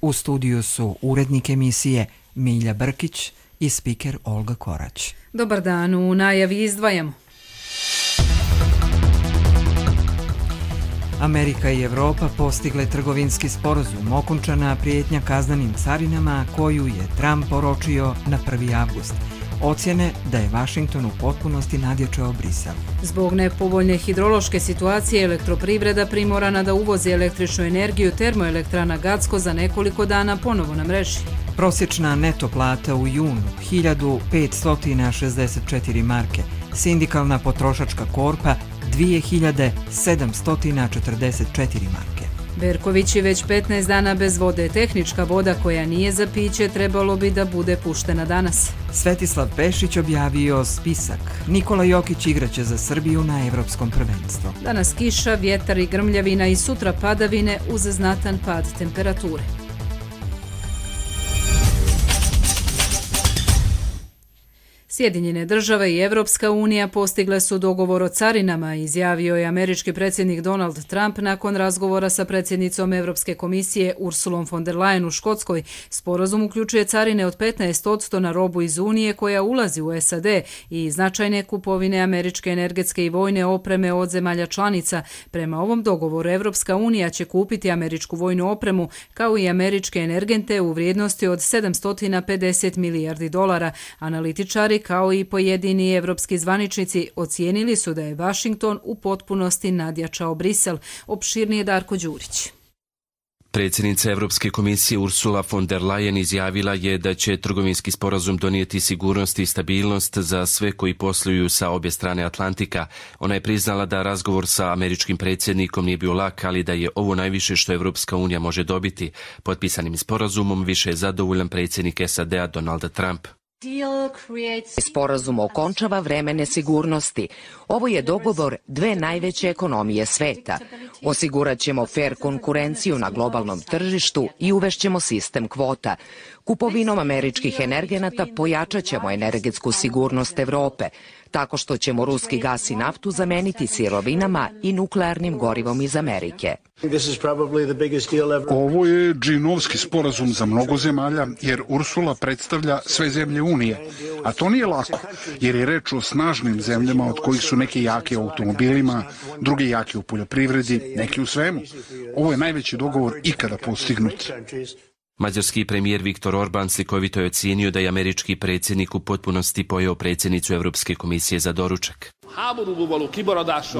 U studiju su urednik emisije Milja Brkić i spiker Olga Korać. Dobar dan, u najavi izdvajamo. Amerika i Evropa postigle trgovinski sporazum, okončana prijetnja kaznenim carinama koju je Trump oročio na 1. avgust. Ocjene da je Vašington u potpunosti nadjačao Brisel. Zbog nepovoljne hidrološke situacije elektroprivreda primorana da uvozi električnu energiju termoelektrana Gacko za nekoliko dana ponovo na mreži. Prosječna neto plata u junu 1564 marke, sindikalna potrošačka korpa 2744 marke. Berković je već 15 dana bez vode. Tehnička voda koja nije za piće trebalo bi da bude puštena danas. Svetislav Pešić objavio spisak. Nikola Jokić igraće za Srbiju na Evropskom prvenstvu. Danas kiša, vjetar i grmljavina i sutra padavine uz znatan pad temperature. Sjedinjene države i Evropska unija postigle su dogovor o carinama, izjavio je američki predsjednik Donald Trump nakon razgovora sa predsjednicom Evropske komisije Ursulom von der Leyen u Škotskoj. Sporazum uključuje carine od 15% na robu iz Unije koja ulazi u SAD i značajne kupovine američke energetske i vojne opreme od zemalja članica. Prema ovom dogovoru Evropska unija će kupiti američku vojnu opremu kao i američke energente u vrijednosti od $750 milijardi. Analitičari kao i pojedini evropski zvaničnici ocijenili su da je Vašington u potpunosti nadjačao Brisel. Opširnije Darko Đurić. Predsjednica Evropske komisije Ursula von der Leyen izjavila je da će trgovinski sporazum donijeti sigurnost i stabilnost za sve koji posluju sa obje strane Atlantika. Ona je priznala da razgovor sa američkim predsjednikom nije bio lak, ali da je ovo najviše što Evropska unija može dobiti. Potpisanim sporazumom više je zadovoljan predsjednik SAD-a Donald Trump. Sporazum okončava vreme nesigurnosti. Ovo je dogovor dve najveće ekonomije sveta. Osigurat ćemo fer konkurenciju na globalnom tržištu i uvešćemo sistem kvota. Kupovinom američkih energenata pojačat ćemo energetsku sigurnost Evrope, tako što ćemo ruski gas i naftu zameniti sirovinama i nuklearnim gorivom iz Amerike. Ovo je džinovski sporazum za mnogo zemalja, jer Ursula predstavlja sve zemlje Unije. A to nije lako, jer je reč o snažnim zemljama od kojih su neki jaki u automobilima, drugi jaki u poljoprivredi, neki u svemu. Ovo je najveći dogovor ikada postignut. Mađarski premijer Viktor Orban slikovito je ocijenio da je američki predsjednik u potpunosti pojeo predsjednicu Evropske komisije za doručak.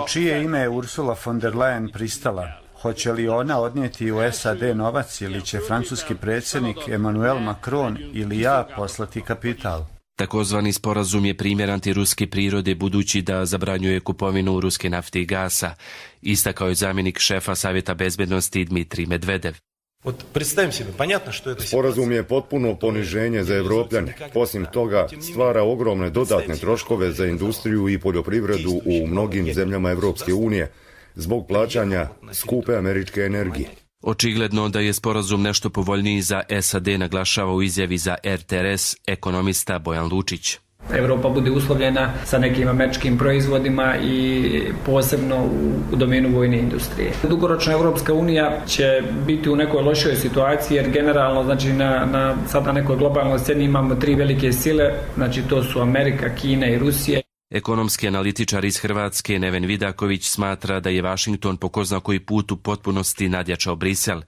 U čije ime je Ursula von der Leyen pristala? Hoće li ona odnijeti u SAD novac ili će francuski predsjednik Emmanuel Macron ili ja poslati kapital? Takozvani sporazum je primjer antiruske prirode budući da zabranjuje kupovinu ruske nafte i gasa, istakao je zamjenik šefa Savjeta bezbednosti Dmitrij Medvedev. Sporazum je potpuno poniženje za Evropljane. Osim toga, stvara ogromne dodatne troškove za industriju i poljoprivredu u mnogim zemljama Evropske unije zbog plaćanja skupe američke energije. Očigledno da je sporazum nešto povoljniji za SAD, naglašava u izjavi za RTRS ekonomista Bojan Lučić. Evropa bude uslovljena sa nekim američkim proizvodima i posebno u domenu vojne industrije. Dugoročno Evropska unija će biti u nekoj lošoj situaciji jer generalno znači sad na nekoj globalnoj sceni imamo tri velike sile, znači to su Amerika, Kina i Rusija. Ekonomski analitičar iz Hrvatske Neven Vidaković smatra da je Vašington po ko zna koji put u potpunosti nadjačao Brisel.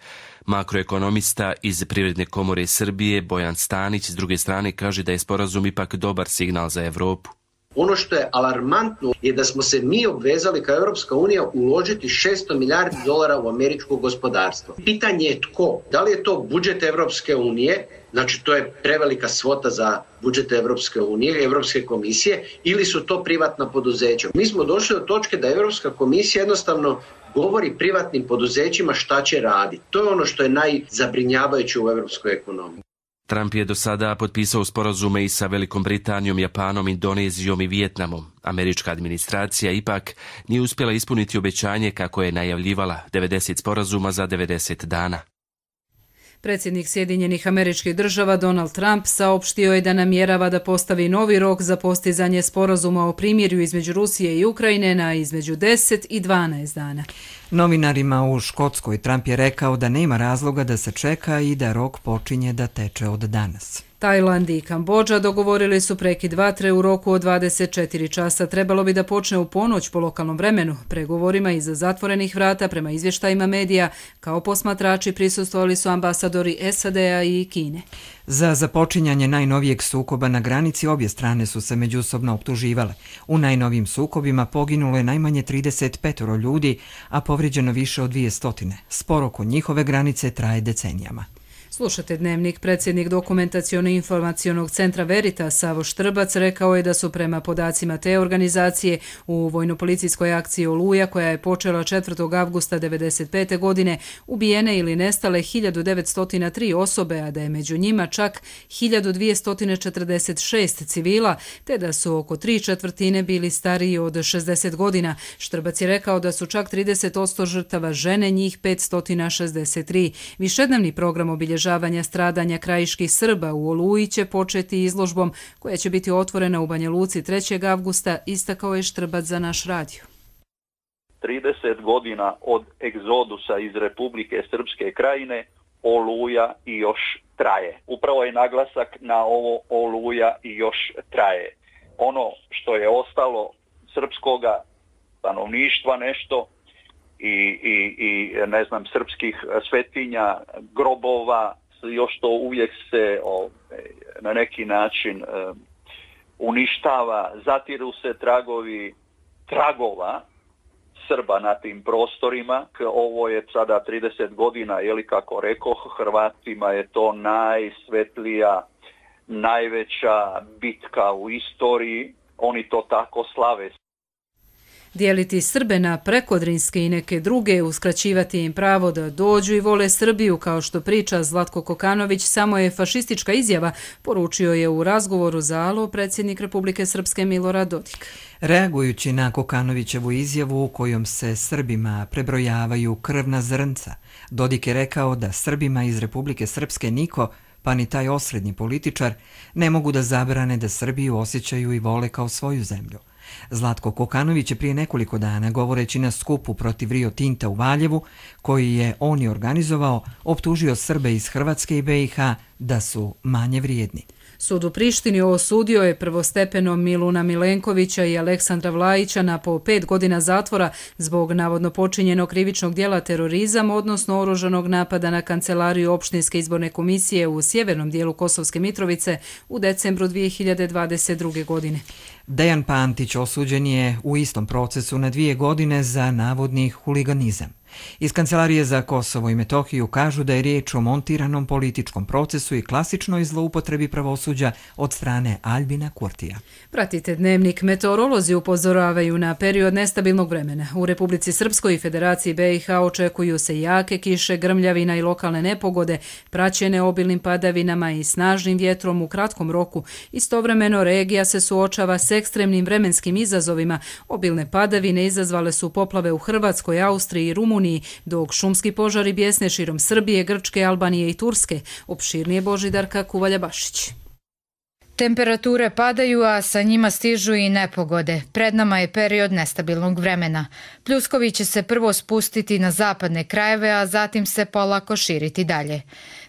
Makroekonomista iz Privredne komore Srbije Bojan Stanić s druge strane kaže da je sporazum ipak dobar signal za Evropu. Ono što je alarmantno je da smo se mi obvezali kao Europska unija uložiti $600 milijardi u američko gospodarstvo. Pitanje je tko? Da li je to budžet Europske unije, znači to je prevelika svota za budžet Europske unije, Europske komisije, ili su to privatna poduzeća? Mi smo došli do točke da Europska komisija jednostavno govori privatnim poduzećima šta će raditi. To je ono što je najzabrinjavajuće u europskoj ekonomiji. Trump je do sada potpisao sporazume i sa Velikom Britanijom, Japanom, Indonezijom i Vijetnamom. Američka administracija ipak nije uspjela ispuniti obećanje kako je najavljivala 90 sporazuma za 90 dana. Predsjednik Sjedinjenih Američkih Država Donald Trump saopštio je da namjerava da postavi novi rok za postizanje sporazuma o primirju između Rusije i Ukrajine na između 10 i 12 dana. Novinarima u Škotskoj Trump je rekao da nema razloga da se čeka i da rok počinje da teče od danas. Tajland i Kambodža dogovorili su prekid vatre u roku od 24 časa. Trebalo bi da počne u ponoć po lokalnom vremenu. Pregovorima iza zatvorenih vrata prema izvještajima medija kao posmatrači prisustvovali su ambasadori SAD-a i Kine. Za započinjanje najnovijeg sukoba na granici obje strane su se međusobno optuživale. U najnovijim sukobima poginulo je najmanje 35 ljudi, a povrijeđeno više od 200. Spor oko njihove granice traje decenijama. Slušate Dnevnik. Predsjednik Dokumentaciono-informacionog centra Veritas Savo Štrbac rekao je da su prema podacima te organizacije u vojno-policijskoj akciji Oluja, koja je počela 4. avgusta 1995. godine, ubijene ili nestale 1903 osobe, a da je među njima čak 1246 civila, te da su oko 3/4 bili stariji od 60 godina. Štrbac je rekao da su čak 30% žrtava žene, njih 563. Višednevni program obilježavanja stradanja krajiških Srba u Oluji će početi izložbom koja će biti otvorena u Banja Luci 3. avgusta, istakao je Štrbac za naš radio. 30 godina od egzodusa iz Republike Srpske krajine, Oluja i još traje. Upravo je naglasak na ovo Oluja i još traje. Ono što je ostalo srpskoga stanovništva nešto i ne znam, srpskih svetinja, grobova, još to uvijek se na neki način uništava, zatiru se tragova Srba na tim prostorima. Ovo je sada 30 godina, kako rekoh, Hrvatima je to najsvetlija, najveća bitka u istoriji. Oni to tako slave. Dijeliti Srbe na prekodrinske i neke druge, uskraćivati im pravo da dođu i vole Srbiju, kao što priča Zlatko Kokanović, samo je fašistička izjava, poručio je u razgovoru za Alo predsjednik Republike Srpske Milorad Dodik. Reagujući na Kokanovićevu izjavu u kojom se Srbima prebrojavaju krvna zrnca, Dodik je rekao da Srbima iz Republike Srpske niko, pa ni taj osrednji političar, ne mogu da zabrane da Srbiju osjećaju i vole kao svoju zemlju. Zlatko Kokanović je prije nekoliko dana, govoreći na skupu protiv Rio Tinta u Valjevu, koji je on i organizovao, optužio Srbe iz Hrvatske i BiH da su manje vrijedni. Sud u Prištini osudio je prvostepeno Miluna Milenkovića i Aleksandra Vlajića na po 5 godina zatvora zbog navodno počinjenog krivičnog djela terorizam, odnosno oružanog napada na kancelariju Opštinske izborne komisije u sjevernom dijelu Kosovske Mitrovice u decembru 2022. godine. Dejan Pantić osuđen je u istom procesu na 2 godine za navodni huliganizam. Iz Kancelarije za Kosovo i Metohiju kažu da je riječ o montiranom političkom procesu i klasičnoj zloupotrebi pravosuđa od strane Albina Kurtija. Pratite Dnevnik. Meteorolozi upozoravaju na period nestabilnog vremena. U Republici Srpskoj i Federaciji BiH očekuju se jake kiše, grmljavina i lokalne nepogode, praćene obilnim padavinama i snažnim vjetrom u kratkom roku. Istovremeno regija se suočava s ekstremnim vremenskim izazovima. Obilne padavine izazvale su poplave u Hrvatskoj, Austriji i Rumuniji, dok šumski požari bijesne širom Srbije, Grčke, Albanije i Turske. Opširnije Božidarka Kuvalja-Bašić. Temperature padaju, a sa njima stižu i nepogode. Pred nama je period nestabilnog vremena. Pljuskovi će se prvo spustiti na zapadne krajeve, a zatim se polako širiti dalje.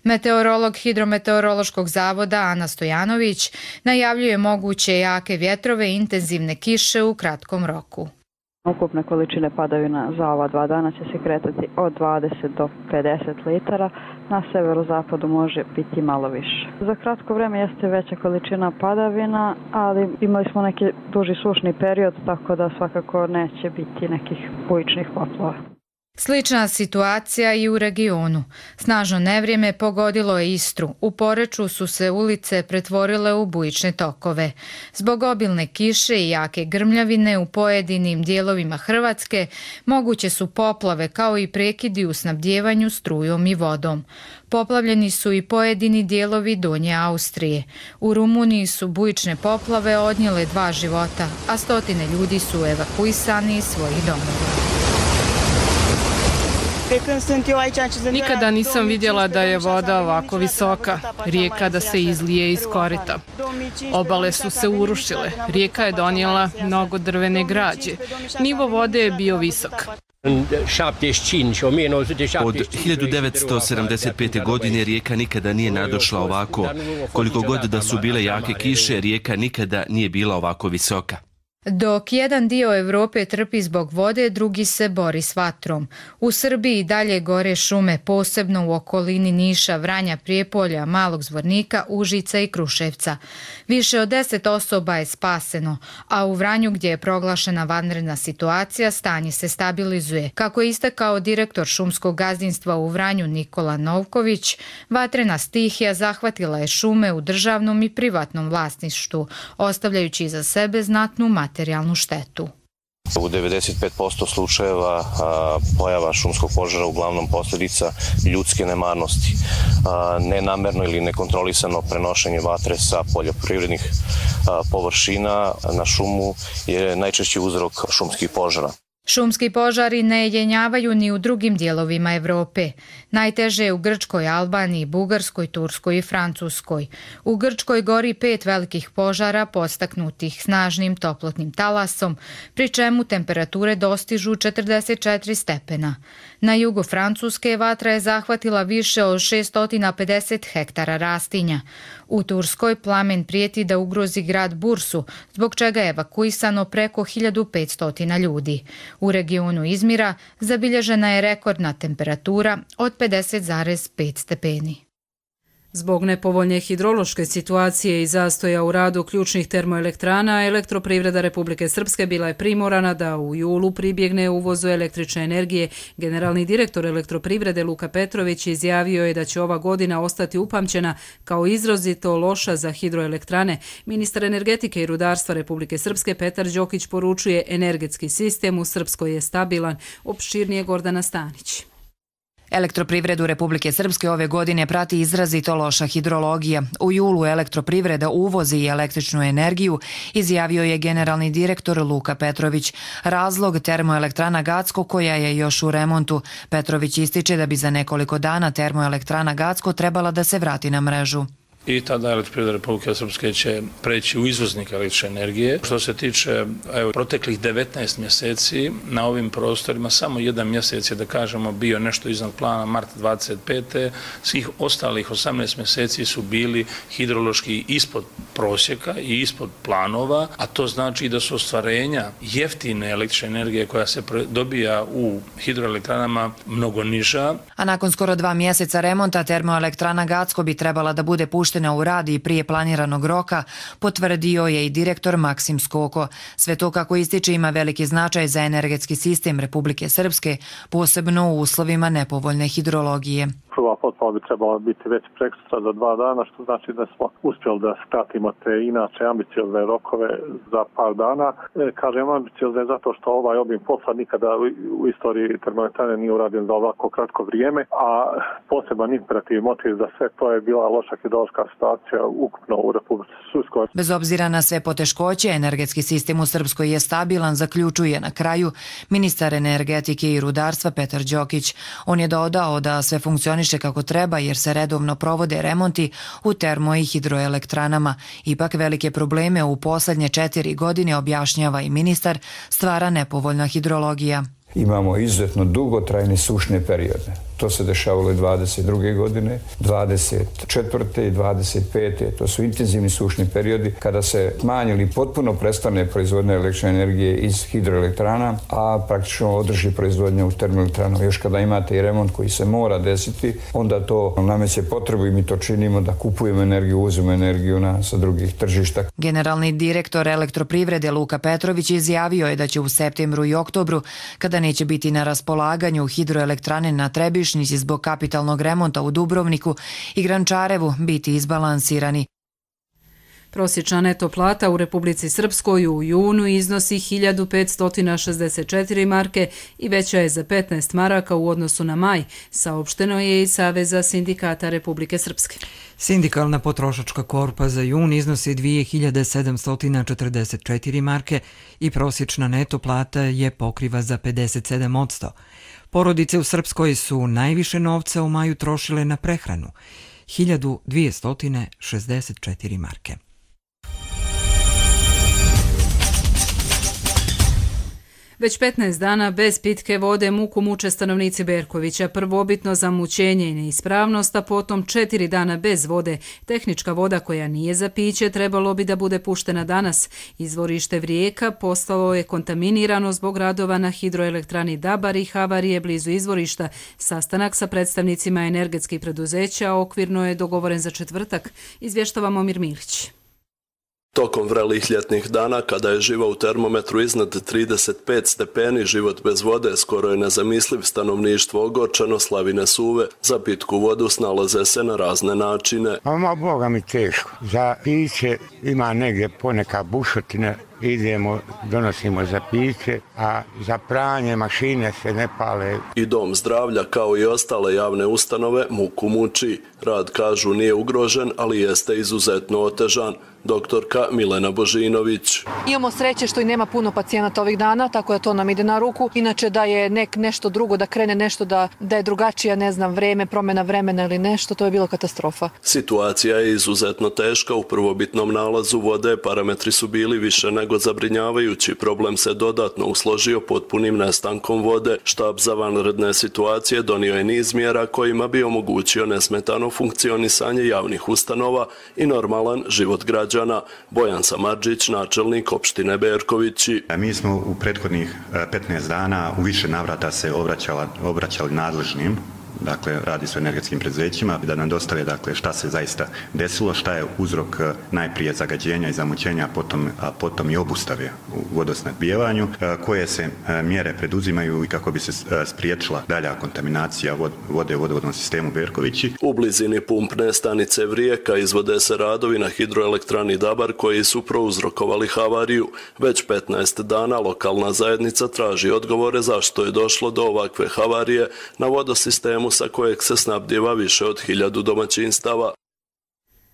Meteorolog Hidrometeorološkog zavoda Ana Stojanović najavljuje moguće jake vjetrove i intenzivne kiše u kratkom roku. Ukupne količine padavina za ova 2 dana će se kretati od 20 do 50 litara, na severozapadu može biti malo više. Za kratko vrijeme jeste veća količina padavina, ali imali smo neki duži sušni period, tako da svakako neće biti nekih bujičnih poplava. Slična situacija i u regionu. Snažno nevrijeme pogodilo je Istru. U Poreču su se ulice pretvorile u bujične tokove. Zbog obilne kiše i jake grmljavine u pojedinim dijelovima Hrvatske moguće su poplave kao i prekidi u snabdjevanju strujom i vodom. Poplavljeni su i pojedini dijelovi Donje Austrije. U Rumuniji su bujične poplave odnijele 2 života, a stotine ljudi su evakuisani iz svojih domova. Nikada nisam vidjela da je voda ovako visoka, rijeka da se izlije iz korita. Obale su se urušile, rijeka je donijela mnogo drvene građe. Nivo vode je bio visok. Od 1975. godine rijeka nikada nije nadošla ovako. Koliko god da su bile jake kiše, rijeka nikada nije bila ovako visoka. Dok jedan dio Europe trpi zbog vode, drugi se bori s vatrom. U Srbiji dalje gore šume, posebno u okolini Niša, Vranja, Prijepolja, Malog Zvornika, Užica i Kruševca. Više od 10 osoba je spaseno, a u Vranju, gdje je proglašena vanredna situacija, stanje se stabilizuje. Kako je istakao direktor šumskog gazdinstva u Vranju Nikola Novković, vatrena stihija zahvatila je šume u državnom i privatnom vlasništvu, ostavljajući iza sebe znatnu materijalnu štetu. U 95% slučajeva pojava šumskog požara uglavnom posljedica ljudske nemarnosti. Nenamerno ili nekontrolisano prenošenje vatre sa poljoprivrednih površina na šumu je najčešći uzrok šumskih požara. Šumski požari ne jenjavaju ni u drugim dijelovima Europe. Najteže je u Grčkoj, Albaniji, Bugarskoj, Turskoj i Francuskoj. U Grčkoj gori 5 velikih požara podstaknutih snažnim toplotnim talasom, pri čemu temperature dostižu 44 stepena. Na jugu Francuske vatra je zahvatila više od 650 hektara rastinja. U Turskoj plamen prijeti da ugrozi grad Bursu, zbog čega je evakuisano preko 1500 ljudi. U regionu Izmira zabilježena je rekordna temperatura od 50,5 stepeni. Zbog nepovoljne hidrološke situacije i zastoja u radu ključnih termoelektrana, Elektroprivreda Republike Srpske bila je primorana da u julu pribjegne uvozu električne energije. Generalni direktor Elektroprivrede Luka Petrović izjavio je da će ova godina ostati upamćena kao izrazito loša za hidroelektrane. Ministar energetike i rudarstva Republike Srpske Petar Đokić poručuje energetski sistem u Srpskoj je stabilan. Opširnije Gordana Stanić. Elektroprivredu Republike Srpske ove godine prati izrazito loša hidrologija. U julu Elektroprivreda uvozi i električnu energiju, izjavio je generalni direktor Luka Petrović. Razlog termoelektrana Gacko koja je još u remontu. Petrović ističe da bi za nekoliko dana termoelektrana Gacko trebala da se vrati na mrežu. I tada Elektroprivreda Republike Srpske će preći u izvoznik električne energije. Što se tiče proteklih 19 mjeseci na ovim prostorima, samo jedan mjesec je, da kažemo, bio nešto iznad plana, mart 25. Svih ostalih 18 mjeseci su bili hidrološki ispod prosjeka i ispod planova, a to znači da su ostvarenja jeftine električne energije koja se dobija u hidroelektranama mnogo niža. A nakon skoro 2 mjeseca remonta termoelektrana Gacko bi trebala da bude puštena u rad i prije planiranog roka, potvrdio je i direktor Maksim Skoko. Sve to, kako ističe, ima veliki značaj za energetski sistem Republike Srpske, posebno u uslovima nepovoljne hidrologije. Prva potpala bi trebala biti već prekosutra za 2 dana, što znači da smo uspjeli da skratimo te inače ambiciozne rokove za par dana. Kažem ambiciozne zato što ovaj obim posla nikada u istoriji termoelektrane nije urađen za ovako kratko vrijeme, a poseban imperativ motiv za sve to je bila loša hidrološka situacija ukupno u Republici Srpskoj. Bez obzira na sve poteškoće, energetski sistem u Srpskoj je stabilan, zaključuje na kraju ministar energetike i rudarstva Petar Đokić. On je dodao da sve funkcioniše kako treba jer se redovno provode remonti u termo- i hidroelektranama. Ipak velike probleme u posljednje 4 godine, objašnjava i ministar, stvara nepovoljna hidrologija. Imamo izuzetno dugotrajne sušne periode. To se dešavalo i 22. godine, 24. i 25. To su intenzivni sušni periodi kada se smanjili potpuno prestane proizvodnje električne energije iz hidroelektrana, a praktično održi proizvodnja u termoelektranama. Još kada imate i remont koji se mora desiti, onda to nameće potrebu i mi to činimo da kupujemo energiju, uzmemo energiju sa drugih tržišta. Generalni direktor Elektroprivrede Luka Petrović izjavio je da će u septembru i oktobru, kada neće biti na raspolaganju hidroelektrane na Trebišnici zbog kapitalnog remonta u Dubrovniku i Grančarevu, biti izbalansirani. Prosječna neto plata u Republici Srpskoj u junu iznosi 1564 marke i veća je za 15 maraka u odnosu na maj, saopšteno je iz Saveza sindikata Republike Srpske. Sindikalna potrošačka korpa za jun iznosi 2744 marke i prosječna neto plata je pokriva za 57%. Porodice u Srpskoj su najviše novca u maju trošile na prehranu, 1264 marke. Već 15 dana bez pitke vode muku muče stanovnici Berkovića. Prvobitno zamućenje i neispravnost, a potom 4 dana bez vode. Tehnička voda koja nije za piće trebalo bi da bude puštena danas. Izvorište Vrijeka postalo je kontaminirano zbog radova na hidroelektrani Dabar i havarije blizu izvorišta. Sastanak sa predstavnicima energetskih preduzeća okvirno je dogovoren za četvrtak, izvještava Momir Milić. Tokom vrelih ljetnih dana, kada je živa u termometru iznad 35 stepeni, život bez vode skoro je nezamisliv. Stanovništvo ogorčeno, slavine suve, za pitku vodu snalaze se na razne načine. Boga mi teško. Za piće ima negdje poneka bušotina, idemo, donosimo za piće, a za pranje mašine se ne pale. I dom zdravlja, kao i ostale javne ustanove, muku muči. Rad, kažu, nije ugrožen, ali jeste izuzetno otežan. Doktorka Milena Božinović. Imamo sreće što i nema puno pacijenata ovih dana, tako da to nam ide na ruku. Inače da je nešto drugo, da krene nešto, da je drugačija, ne znam, vreme, promjena vremena ili nešto, to je bilo katastrofa. Situacija je izuzetno teška. U prvobitnom nalazu vode parametri su bili više nego zabrinjavajući. Problem se dodatno usložio potpunim nestankom vode. Štab za vanredne situacije donio je niz mjera kojima bi omogućio nesmetano funkcionisanje javnih ustanova i normalan život građana. Bojan Samardžić, načelnik opštine Berkovići. Mi smo u prethodnih 15 dana u više navrata se obraćali nadležnim, dakle radi se o energetskim preduzećima, da nam dostave dakle šta se zaista desilo, šta je uzrok najprije zagađenja i zamućenja, a potom i obustave u vodosnabdijevanju, koje se mjere preduzimaju i kako bi se spriječila dalja kontaminacija vode u vodovodnom sistemu Berkovići. U blizini pumpne stanice Vrijeka izvode se radovi na hidroelektrani Dabar koji su prouzrokovali havariju. Već 15 dana lokalna zajednica traži odgovore zašto je došlo do ovakve havarije na vodosistemu sa kojeg se snabdijeva više od 1000 domaćinstava.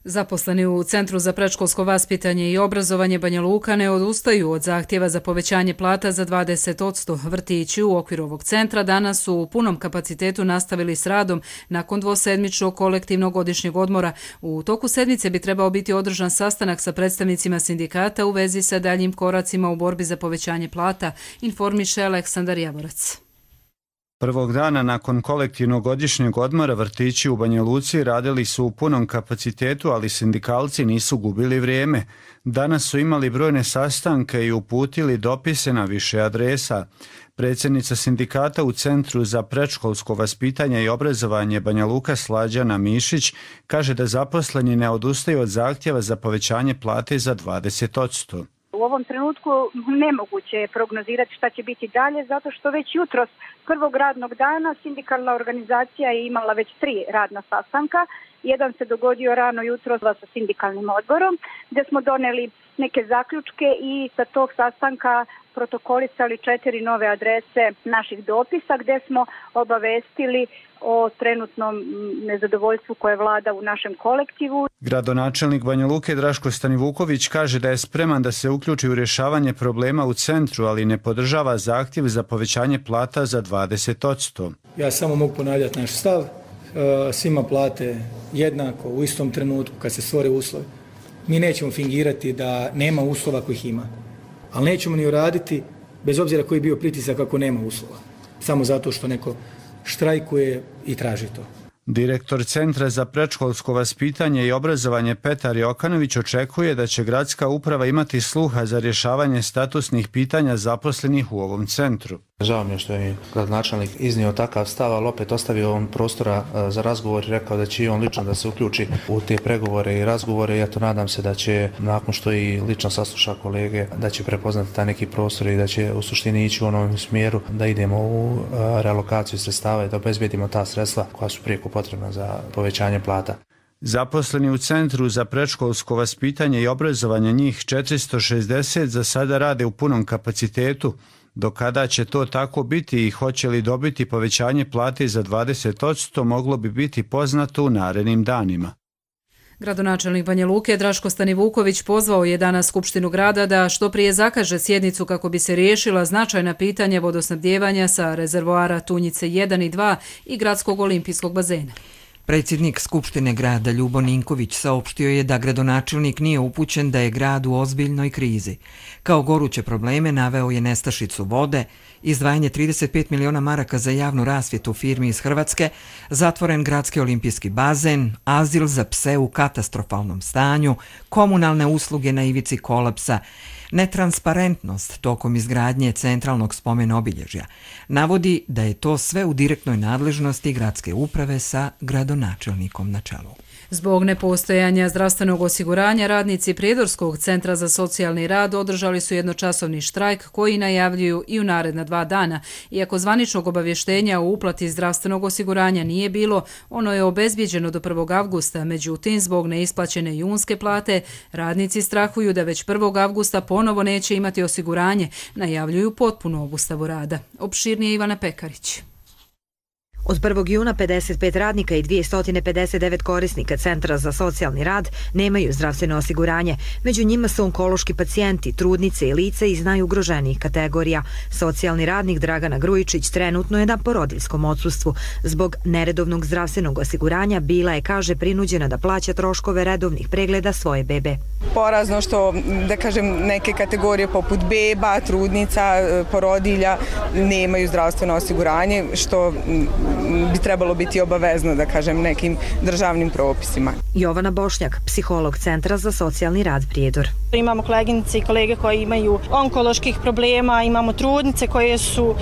Zaposleni u Centru za predškolsko vaspitanje i obrazovanje Banja Luka ne odustaju od zahtjeva za povećanje plata za 20%. Vrtići u okviru ovog centra danas su u punom kapacitetu nastavili s radom nakon dvosedmičnog kolektivnog godišnjeg odmora. U toku sedmice bi trebao biti održan sastanak sa predstavnicima sindikata u vezi sa daljim koracima u borbi za povećanje plata, informiše Aleksandar Javorac. Prvog dana nakon kolektivnog godišnjeg odmora vrtići u Banja Luci radili su u punom kapacitetu, ali sindikalci nisu gubili vrijeme. Danas su imali brojne sastanke i uputili dopise na više adresa. Predsjednica sindikata u Centru za predškolsko vaspitanje i obrazovanje Banja Luka Slađana Mišić kaže da zaposleni ne odustaju od zahtjeva za povećanje plate za 20%. U ovom trenutku nemoguće je prognozirati šta će biti dalje, zato što već jutros prvog radnog dana sindikalna organizacija je imala već 3 radna sastanka. Jedan se dogodio rano jutro sa sindikalnim odborom, gdje smo doneli neke zaključke i sa tog sastanka protokolisali 4 nove adrese naših dopisa, gdje smo obavestili o trenutnom nezadovoljstvu koje vlada u našem kolektivu. Gradonačelnik Banja Luke Draško Stanivuković kaže da je spreman da se uključi u rješavanje problema u centru, ali ne podržava zahtjev za povećanje plata za 20%. Ja samo mogu ponavljati naš stav. Svima plate jednako u istom trenutku kad se stvore uslovi. Mi nećemo fingirati da nema uslova kojih ima, ali nećemo ni uraditi bez obzira koji je bio pritisak ako nema uslova. Samo zato što neko štrajkuje i traži to. Direktor Centra za predškolsko vaspitanje i obrazovanje Petar Jokanović očekuje da će gradska uprava imati sluha za rješavanje statusnih pitanja zaposlenih u ovom centru. Žao mi je što je gradonačelnik iznio takav stav, ali opet ostavio on prostora za razgovor i rekao da će i on lično da se uključi u te pregovore i razgovore. Ja to nadam se da će, nakon što i lično sasluša kolege, da će prepoznati taj neki prostor i da će u suštini ići u onom smjeru da idemo u realokaciju sredstava i da obezbedimo ta sredstva koja su prijeko potrebna za povećanje plata. Zaposleni u Centru za predškolsko vaspitanje i obrazovanje, njih 460, za sada rade u punom kapacitetu. Do kada će to tako biti i hoće li dobiti povećanje plate za 20%, moglo bi biti poznato u narednim danima. Gradonačelnik Banja Luke Draško Stanivuković pozvao je danas Skupštinu grada da što prije zakaže sjednicu kako bi se riješila značajna pitanja vodosnabdijevanja sa rezervoara Tunjice 1 i 2 i gradskog olimpijskog bazena. Predsjednik Skupštine grada Ljubo Ninković saopštio je da gradonačelnik nije upućen da je grad u ozbiljnoj krizi. Kao goruće probleme naveo je nestašicu vode, izdvajanje 35 miliona maraka za javnu rasvjetu firmi iz Hrvatske, zatvoren gradski olimpijski bazen, azil za pse u katastrofalnom stanju, komunalne usluge na ivici kolapsa, netransparentnost tokom izgradnje centralnog spomen obilježja. Navodi da je to sve u direktnoj nadležnosti gradske uprave sa gradonačelnikom na čelu. Zbog nepostojanja zdravstvenog osiguranja, radnici Prijedorskog centra za socijalni rad održali su jednočasovni štrajk koji najavljuju i u naredna 2 dana. Iako zvaničnog obavještenja o uplati zdravstvenog osiguranja nije bilo, ono je obezbijeđeno do 1. avgusta. Međutim, zbog neisplaćene junske plate, radnici strahuju da već 1. avgusta ponovo neće imati osiguranje, najavljuju potpunu obustavu rada. Opširnije Ivana Pekarić. Od 1. juna 55 radnika i 259 korisnika Centra za socijalni rad nemaju zdravstveno osiguranje. Među njima su onkološki pacijenti, trudnice i lice iz najugroženijih kategorija. Socijalni radnik Dragana Grujičić trenutno je na porodiljskom odsustvu. Zbog neredovnog zdravstvenog osiguranja bila je, kaže, prinuđena da plaća troškove redovnih pregleda svoje bebe. Porazno što, da kažem, neke kategorije poput beba, trudnica, porodilja nemaju zdravstveno osiguranje, što bi trebalo biti obavezno, da kažem, nekim državnim propisima. Jovana Bošnjak, psiholog Centra za socijalni rad Prijedor. Imamo koleginice i kolege koji imaju onkoloških problema, imamo trudnice koje su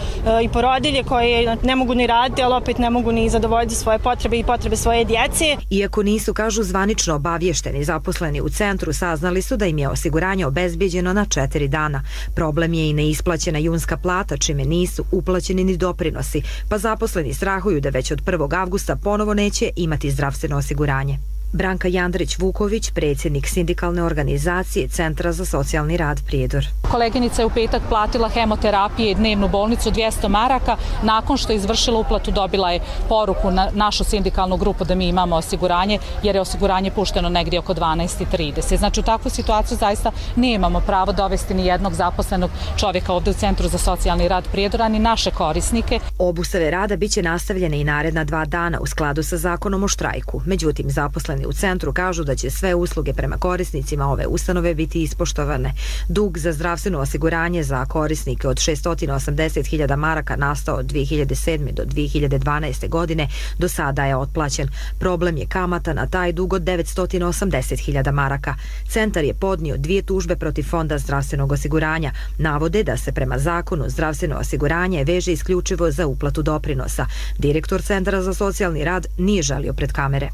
i porodilje koje ne mogu ni raditi, ali opet ne mogu ni zadovoljiti svoje potrebe i potrebe svoje djece. Iako nisu, kažu, zvanično obavješteni, zaposleni u centru saznali su da im je osiguranje obezbijeđeno na 4 dana. Problem je i neisplaćena junska plata, čime nisu uplaćeni ni doprinosi, pa zaposleni strahuju da već od 1. avgusta ponovo neće imati zdravstveno osiguranje. Branka Jandrić-Vuković, predsjednik sindikalne organizacije Centra za socijalni rad Prijedor. Koleginica je u petak platila hemoterapije i dnevnu bolnicu 200 maraka. Nakon što je izvršila uplatu, dobila je poruku na našu sindikalnu grupu da mi imamo osiguranje, jer je osiguranje pušteno negdje oko 12:30. Znači, u takvu situaciju zaista nemamo pravo dovesti ni jednog zaposlenog čovjeka ovdje u Centru za socijalni rad Prijedora, ni naše korisnike. Obustave rada biće nastavljene i naredna 2 dana u skladu sa zakonom o štrajku. Međutim, zaposleni u centru kažu da će sve usluge prema korisnicima ove ustanove biti ispoštovane. Dug za zdravstveno osiguranje za korisnike od 680.000 maraka nastao od 2007. do 2012. godine do sada je otplaćen. Problem je kamata na taj dug od 980.000 maraka. Centar je podnio 2 tužbe protiv Fonda zdravstvenog osiguranja. Navode da se prema zakonu zdravstveno osiguranje veže isključivo za uplatu doprinosa. Direktor Centra za socijalni rad nije žalio pred kamere.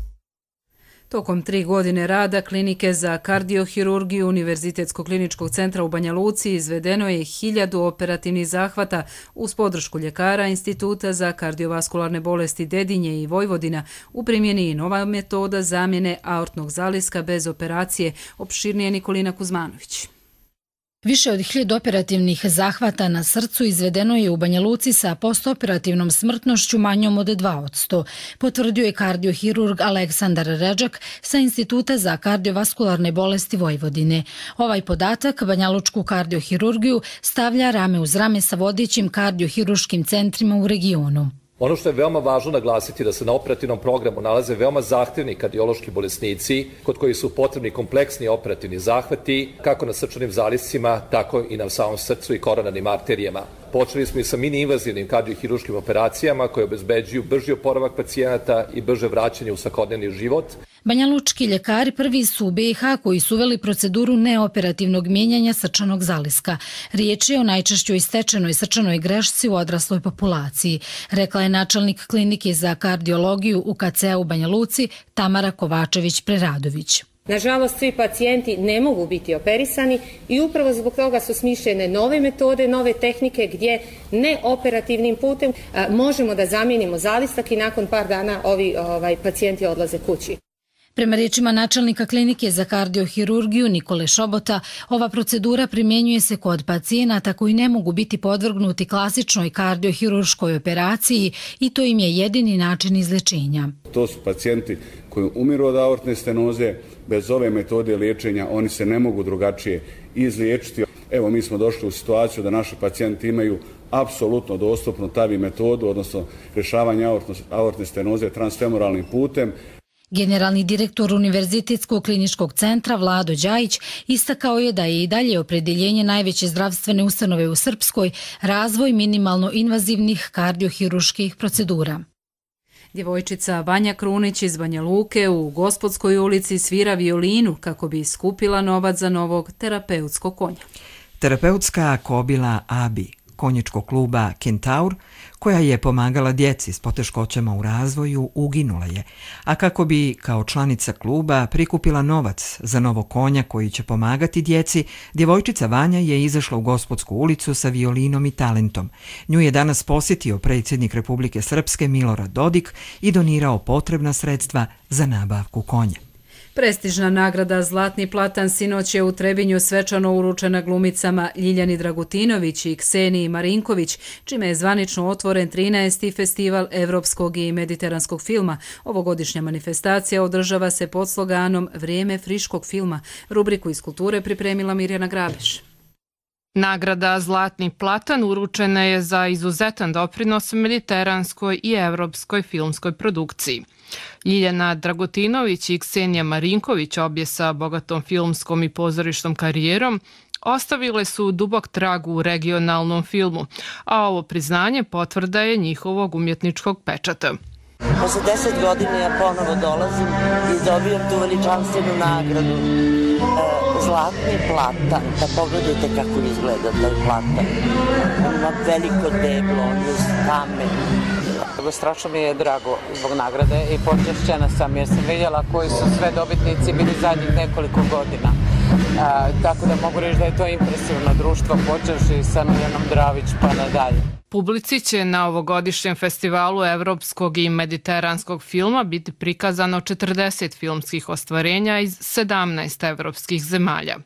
Tokom 3 godine rada klinike za kardiohirurgiju Univerzitetskog kliničkog centra u Banja Luci izvedeno je 1000 operativnih zahvata uz podršku ljekara Instituta za kardiovaskularne bolesti Dedinje i Vojvodina. U primjeni je nova metoda zamjene aortnog zaliska bez operacije. Opširnije Nikolina Kuzmanović. Više od 1000 operativnih zahvata na srcu izvedeno je u Banja Luci sa postoperativnom smrtnošću manjom od 2%, potvrdio je kardiohirurg Aleksandar Redžak sa Instituta za kardiovaskularne bolesti Vojvodine. Ovaj podatak banjalučku kardiohirurgiju stavlja rame uz rame sa vodećim kardiohiruškim centrima u regionu. Ono što je veoma važno naglasiti da se na operativnom programu nalaze veoma zahtjevni kardiološki bolesnici kod kojih su potrebni kompleksni operativni zahvati kako na srčanim zaliscima, tako i na samom srcu i koronarnim arterijama. Počeli smo i sa mini-invazivnim kardiohiruškim operacijama koje obezbeđuju brži oporavak pacijenata i brže vraćanje u svakodnevni život. Banjalučki ljekari prvi su u BiH koji su uveli proceduru neoperativnog mijenjanja srčanog zaliska. Riječ je o najčešćoj stečenoj srčanoj grešci u odrasloj populaciji, rekla je načelnik klinike za kardiologiju u KC-u Banja Luci Tamara Kovačević-Preradović. Nažalost, svi pacijenti ne mogu biti operisani i upravo zbog toga su smišljene nove metode, nove tehnike gdje neoperativnim putem možemo da zamijenimo zalistak i nakon par dana ovi pacijenti odlaze kući. Prema riječima načelnika klinike za kardiohirurgiju Nikole Šobota, ova procedura primjenjuje se kod pacijenata koji ne mogu biti podvrgnuti klasičnoj kardiohirurškoj operaciji i to im je jedini način izlečenja. To su pacijenti koji umiru od aortne stenoze, bez ove metode liječenja oni se ne mogu drugačije izliječiti. Evo, mi smo došli u situaciju da naši pacijenti imaju apsolutno dostupnu TAVI metodu, odnosno rješavanje aortne stenoze transfemoralnim putem. Generalni direktor Univerzitetskog kliničkog centra Vlado Đajić istakao je da je i dalje opredjeljenje najveće zdravstvene ustanove u Srpskoj razvoj minimalno invazivnih kardiohirurških procedura. Djevojčica Vanja Krunić iz Banja Luke u Gospodskoj ulici svira violinu kako bi skupila novac za novog terapeutskog konja. Terapeutska kobila Abi, konjičkog kluba Kentaur, koja je pomagala djeci s poteškoćama u razvoju, uginula je, a kako bi kao članica kluba prikupila novac za novog konja koji će pomagati djeci, djevojčica Vanja je izašla u Gospodsku ulicu sa violinom i talentom. Nju je danas posjetio predsjednik Republike Srpske Milorad Dodik i donirao potrebna sredstva za nabavku konja. Prestižna nagrada Zlatni platan sinoć je u Trebinju svečano uručena glumicama Ljiljani Dragutinović i Kseniji Marinković, čime je zvanično otvoren 13. festival evropskog i mediteranskog filma. Ovogodišnja manifestacija održava se pod sloganom Vrijeme friškog filma. Rubriku iz kulture pripremila Mirjana Grabeš. Nagrada Zlatni platan uručena je za izuzetan doprinos mediteranskoj i evropskoj filmskoj produkciji. Ljiljana Dragutinović i Ksenija Marinković, obje sa bogatom filmskom i pozorišnom karijerom, ostavile su dubok trag u regionalnom filmu, a ovo priznanje potvrda je njihovog umjetničkog pečata. Posle 10 godina ja ponovo dolazim i dobijam tu veličanstvenu nagradu Zlatni platan. Da pogledajte kako izgleda taj platan. Ima veliko deblo, on je kamen. Strašno mi je drago zbog nagrade i počešćena sam jer sam vidjela koji su sve dobitnici bili zadnjih nekoliko godina. Tako da mogu reći da je to impresivno društvo, počevši sa Milanom Dravić pa nadalje. Publici će na ovogodišnjem festivalu evropskog i mediteranskog filma biti prikazano 40 filmskih ostvarenja iz 17 evropskih zemalja.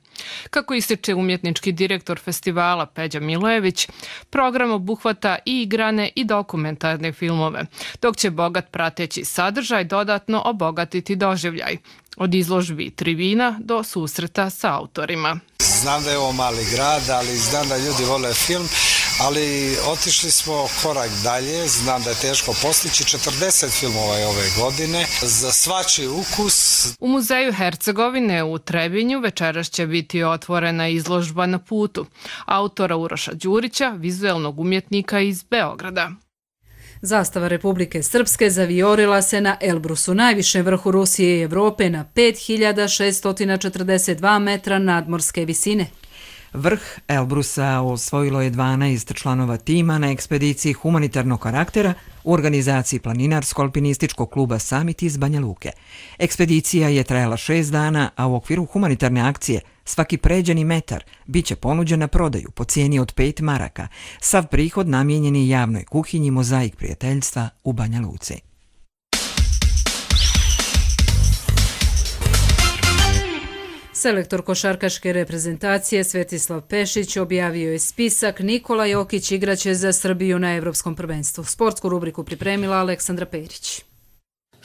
Kako ističe umjetnički direktor festivala Peđa Milojević, program obuhvata i igrane i dokumentarne filmove, dok će bogat prateći sadržaj dodatno obogatiti doživljaj, od izložbi trivina do susreta sa autorima. Znam da je ovo mali grad, ali znam da ljudi vole film, ali otišli smo korak dalje, znam da je teško postići 40 filmova je ove godine, za svačiji ukus. U muzeju Hercegovine u Trebinju večeras će biti otvorena izložba Na putu, autora Uroša Đurića, vizuelnog umjetnika iz Beograda. Zastava Republike Srpske zavijorila se na Elbrusu, najvišem vrhu Rusije i Evrope, na 5642 metra nadmorske visine. Vrh Elbrusa osvojilo je 12 članova tima na ekspediciji humanitarnog karaktera u organizaciji Planinarsko-alpinističkog kluba Summit iz Banja Luke. Ekspedicija je trajala 6 dana, a u okviru humanitarne akcije svaki pređeni metar bit će ponuđen na prodaju po cijeni od 5 maraka. Sav prihod namijenjen je javnoj kuhinji Mozaik prijateljstva u Banja Luci. Selektor košarkaške reprezentacije Svetislav Pešić objavio je spisak. Nikola Jokić igraće za Srbiju na Evropskom prvenstvu. Sportsku rubriku pripremila Aleksandra Perić.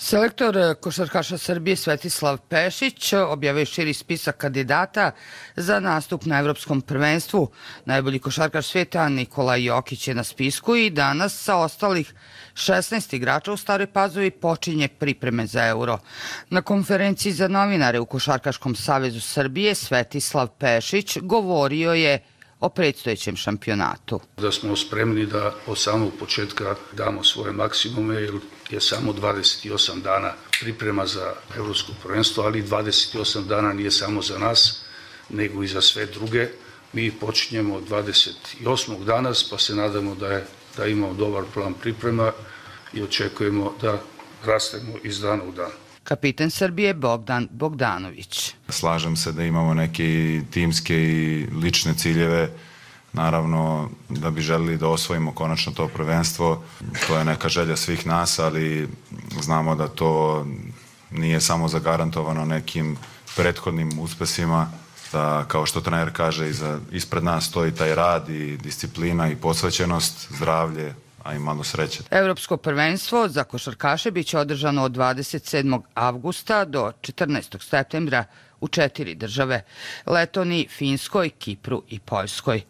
Selektor košarkaša Srbije Svetislav Pešić objavio širi spisak kandidata za nastup na Evropskom prvenstvu. Najbolji košarkaš svijeta Nikola Jokić je na spisku i danas sa ostalih 16 igrača u Staroj Pazovi počinje pripreme za Euro. Na konferenciji za novinare u Košarkaškom savezu Srbije Svetislav Pešić govorio je o predstojećem šampionatu. Da smo spremni da od samog početka damo svoje maksimume, jer je samo 28 dana priprema za Evropsko prvenstvo, ali 28 dana nije samo za nas, nego i za sve druge. Mi počinjemo 28. danas, pa se nadamo da imamo dobar plan priprema i očekujemo da rastemo iz dana u dan. Kapitan Srbije Bogdan Bogdanović. Slažem se da imamo neke timske i lične ciljeve, naravno da bi želili da osvojimo konačno to prvenstvo. To je neka želja svih nas, ali znamo da to nije samo zagarantovano nekim prethodnim uspesima, da kao što trener kaže ispred nas stoji taj rad i disciplina i posvećenost, zdravlje, a i malo sreće. Evropsko prvenstvo za košarkaše biće održano od 27. avgusta do 14. septembra u 4 države: Letoniji, Finskoj, Kipru i Poljskoj.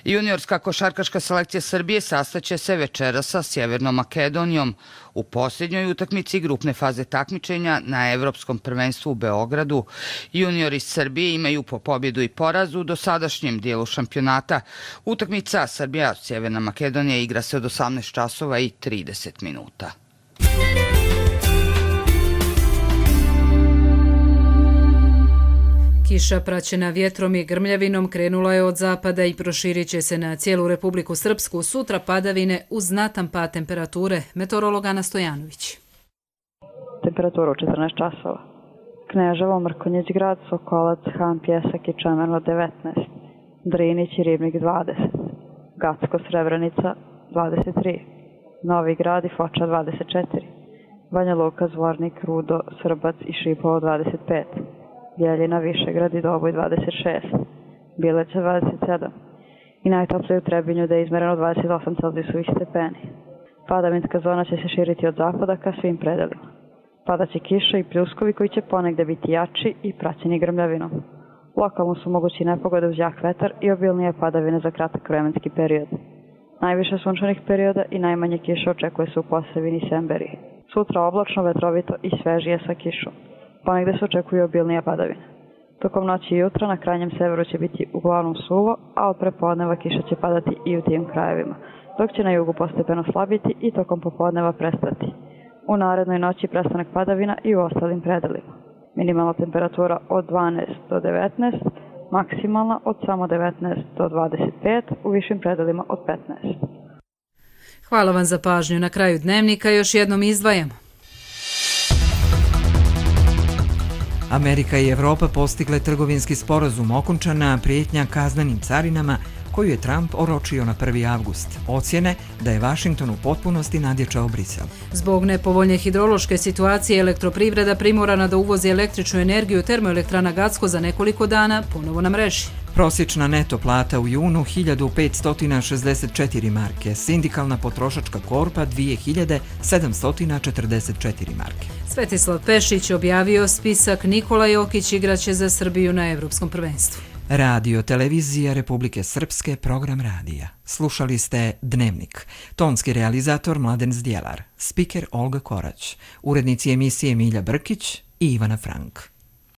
Juniorska košarkaška selekcija Srbije sastaće se večeras sa Sjevernom Makedonijom u posljednjoj utakmici grupne faze takmičenja na Evropskom prvenstvu u Beogradu. Juniori Srbije imaju po pobjedu i porazu u dosadašnjem dijelu šampionata. Utakmica Srbija-Sjeverna Makedonija igra se od 18 časova i 30 minuta. Kiša praćena vjetrom i grmljavinom krenula je od zapada i proširit će se na cijelu Republiku Srpsku. Sutra padavine uz znatan pad temperature. Meteorolog Ana Stojanović. Temperatura u 14 časova. Kneževo, Mrkonjić grad, Sokolac, Han, Pjesak i Čemerno 19. Drinić i Ribnik 20. Gacko, Srebrenica 23. Novi grad i Foča 24. Banja Luka, Zvornik, Rudo, Srbac i Šipovo 25. Bjeljina, Višegrad i Doboj 26, Bileća 27 i najtoplije u Trebinju da je izmereno 28 celzijusovih stepeni. Padavinska zona će se širiti od zapada ka svim predelima. Padaće kiša i pljuskovi koji će ponegde biti jači i praćeni grmljavinom. Lokalno su mogući nepogode uz jak vetar i obilnije padavine za kratak vremenski period. Najviše sunčanih perioda i najmanje kiše očekuje se u Posavini i Semberiji. Sutra oblačno, vetrovito i svežije sa kišom. Ponegde se očekuju obilnije padavine. Tokom noći i jutra na krajnjem severu će biti uglavnom suvo, a od prepodneva kiša će padati i u tim krajevima, dok će na jugu postepeno slabiti i tokom popodneva prestati. U narednoj noći prestanak padavina i u ostalim predelima. Minimalna temperatura od 12 do 19, maksimalna od samo 19 do 25, u višim predelima od 15. Hvala vam za pažnju. Na kraju dnevnika još jednom izdvajamo. Amerika i Evropa postigle trgovinski sporazum, okončana prijetnja kaznenim carinama koju je Trump oročio na 1. avgust. Ocjene da je Vašington u potpunosti nadjačao Brisel. Zbog nepovoljne hidrološke situacije elektroprivreda primorana da uvozi električnu energiju termoelektrana Gacko za nekoliko dana ponovo na mreži. Prosječna neto plata u junu 1564 marke, sindikalna potrošačka korpa 2744 marke. Svetislav Pešić objavio spisak. Nikola Jokić igraće za Srbiju na Evropskom prvenstvu. Radio Televizija Republike Srpske, program radija. Slušali ste Dnevnik. Tonski realizator Mladen Zdjelar, spiker Olga Korać, urednici emisije Milja Brkić i Ivana Frank.